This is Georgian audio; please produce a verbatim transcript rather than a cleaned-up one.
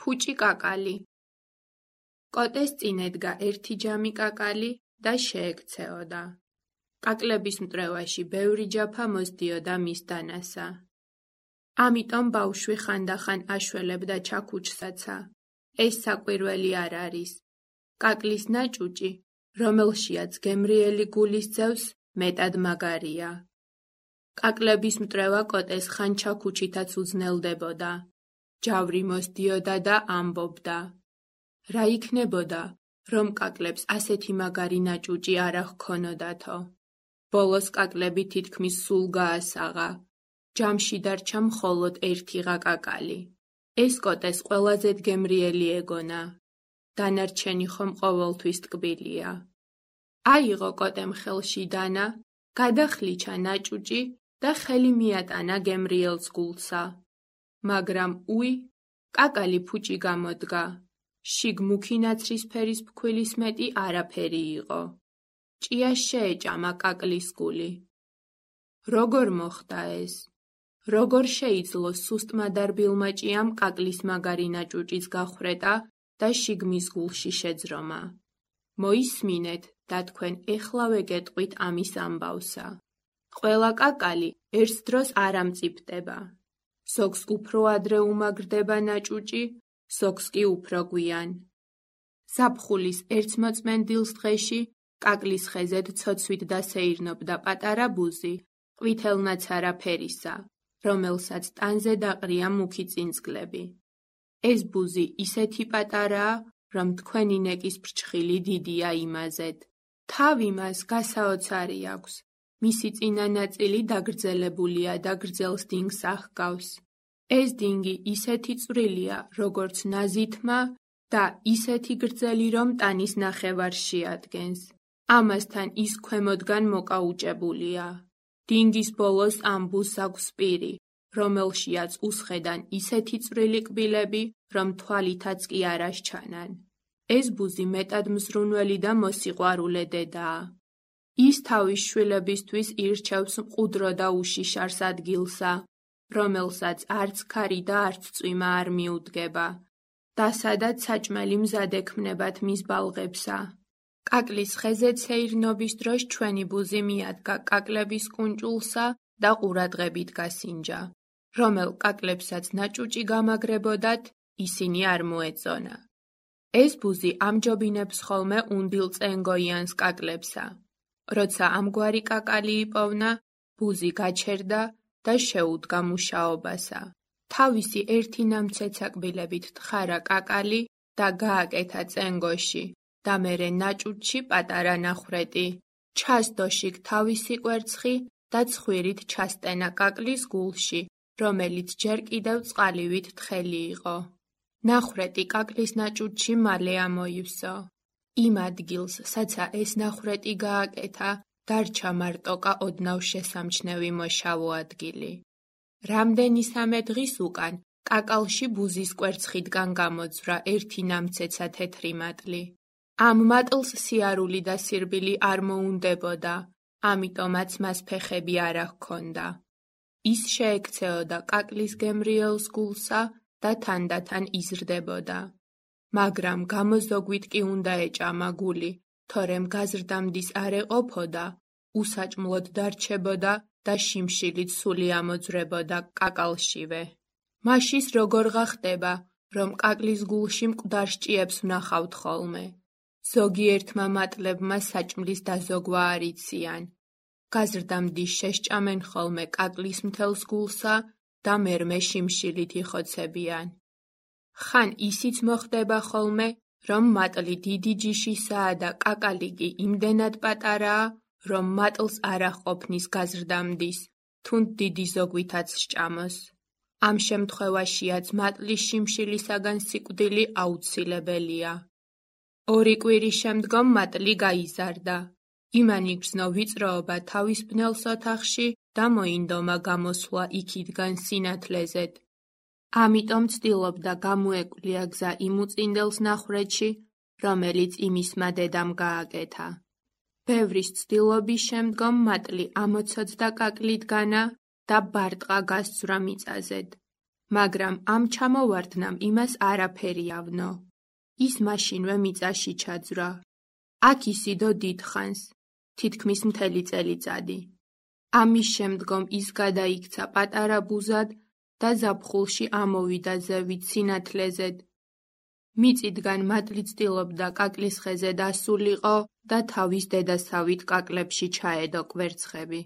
ფუჭი კაკალი. კოტეს წინ ედგა ერთი ჯამი კაკალი და შეექცეოდა. კაკლების მტრევაში ბევრი ჯაფა მოსდიოდა მის დანასა. ამიტომ ბავშვი ხანდახან აშველებდა ჩაქუჩსაცა. ეს საკვირველი არ არის. კაკლის ნაჭუჭი, რომელშიაც გემრიელი გულის ძევს, მეტად მაგარია. კაკლების მტრევა კოტეს ხან ჩაქუჩითაც უძნელდებოდა. ჯავრი მოსდიოდა და ამბობდა. რა იქნებოდა, რომ კაკლებს ასეთი მაგარი ნაჭუჭი არა ჰქონოდათო. ბოლოს კაკლები თითქმის სულ გაასაღა. ჯამში დარჩა მხოლოდ ერთიღა კაკალი. ეს კოტეს ყველაზე გემრიელი ეგონა. დანარჩენი ხომ ყოველთვის ტკბილია. აიღო კოტემ ხელში დანა, გადახლიჩა ნაჭუჭი და ხელი მიატანა გემრიელს გულსა. მაგრამ უი, კაკალი ფუჭი გამოდგა. შიგ მუქი ნაცრისფერის ფქვილის მეტი არაფერი იყო. ჭიას შეეჭამა კაკლის გული. როგორ მოხდა ეს? როგორ შეიძლო სუსტმა დარბილმა ჭიამ კაკლის მაგარი ნაჭუჭის გახვრეტა და შიგ მის გულში შეძრომა? მოისმინეთ და თქვენ ეხლავე გეტყვით ამის ამბავსა. ყველა კაკალი ერთ დროს არ ამწიფდება. ზოგს უფრო ადრე უმაგრდება ნაჭუჭი, ზოგს კი უფრო გვიან. ზაფხულის ერთმოწმენდილს დღეში კაკლის ხეზედ ცოცვით დასეირნობდა პატარა ბუზი, ყვითელნაცარა ფერისა, რომელსაც ტანზე დაყრია მუქი წინწკლები. ეს ბუზი ისეთი პატარაა, რომ თქვენი ნეკის ფრჩხილი დიდია იმაზედ. თავი მას გასაოცარი აქვს. მისი წინა ნაწილი დაგრძელებულია და გრძელს დინგს ახგავს. ეს დინგი ისეთი წვრილია, როგორც ნაზითმა და ისეთი გრძელი, რომ ტანის ნახევარს შეადგენს. ამასთან ის ქვემოდგან მოკაუჭებულია. დინგის ბოლოს ამ ბუზს აქვს პირი, რომელშიაც უსხედან ისეთი წვრილი კბილები, რომ თვალითაც კი არ ასჩანან. ეს ბუზი მეტად მზრუნველი და მოსიყვარულე დედაა. ის თავის შვილებისთვის ირჩევს მყუდრო და უშიშარს ადგილსა, რომელსაც არც ქარი და არც წვიმა არ მიუდგება და სადაც საჭმელი მზად ექმნებათ მის ბალღებსა. კაკლის ხეზე ცეირნობის დროს ჩვენი ბუზი მიადგა კაკლების კუნჭულსა და ყურადღებით გასინჯა. რომელ კაკლებსაც ნაჭუჭი გამაგრებოდათ, ისინი არ მოეწონა. ეს ბუზი ამჯობინებს ხოლმე უნდილ წენგოიანს კაკლებსა. როცა ამგვარი კაკალი იპოვნა, ბუზი გაჩერდა და შეუდგა მუშაობასა. თავისი ერთი ნამცეცა კბილებით თხარა კაკალი და გააკეთა წენგოში და მერე ნაჭუჭში პატარა ნახვრეტი. ჩასდო შიგ თავისი კვერცხი და ცხვირით ჩასტენა კაკლის გულში, რომელიც ჯერ კიდევ წყალივით თხელი იყო. ნახვრეტი კაკლის ნაჭუჭში მალე ამოივსო. იმ ადგილს, საცა ეს ნახვრეტი გააკეთა, დარჩა მარტოკა ოდნავ შესამჩნევი მოშავო ადგილი. რამდენისამე დღის უკან კაკალში ბუზის კვერცხიდან გამოძვრა ერთი ნამცეცა თეთრი მატლი. ამ მატლს სიარული და სირბილი არ მოუნდებოდა, ამიტომაც მას ფეხები არ ჰქონდა. ის შეექცეოდა კაკლის გემრიელს გულსა და თანდათან იზრდებოდა. მაგრამ გამოზოგვით კი უნდა ეჭამა გული, თორემ გაზრდამდის არ ეყოფოდა, უსაჭმლოდ დარჩებოდა და შიმშილით სული ამოძვრებოდა კაკალშივე. მაშის როგორ გახდება, რომ კაკლის გულში მკვდარ ჭიებს ვნახავთ ხოლმე. ზოგიერთმა მატლებმა საჭმლის დაზოგვა არ იციან. გაზრდამდის შესჭამენ ხოლმე კაკლის მთელს გულსა და მერმე შიმშილით იხოცებიან. ხან ისიც მოხდება ხოლმე, რომ მატლი დიდი ჯიშისაა და კაკალი კი იმდენად პატარაა, რომ მატლს არ აჰყოფნის გაზრდამდის, თუნდ დიდი ზოგვითაც სჭამოს. ამ შემთხვევაშიაც მატლის შიმშილისაგან სიკვდილი აუცილებელია. ორი კვირის შემდგომ მატლი გაიზარდა. იმან იგრძნო ვიწროობა თავის ბნელს ოთახში და მოინდომა გამოსვლა იქიდან სინათლეზედ. ამიტომ ცდილობდა გამოეკვლია გზა იმ უწინდელს ნახვრეთში, რომელიც იმისმა დედამ გააკეთა. ბევრის ცდილობის შემდგომ მატლი ამოცოცხლდა კაკლიდგანა და ბარტყა გასცვრა მიწაზედ. მაგრამ ამ ჩამოვარდნამ იმას არაფერი ავნო. ის მაშინვე მიწაში ჩაძვრა. აქ ისიდო დიდხანს, თითქმის მთელი წელიწადი. ამის შემდგომ ის გადაიქცა პატარა ბუზად და ზაფხულში ამოვიდა ზევით სინათლეზედ. მიწისგან მატლი ცდილობდა კაკლის ხეზე დასულიყო და თავის დედასავით კაკლებში ჩაედო კვერცხები.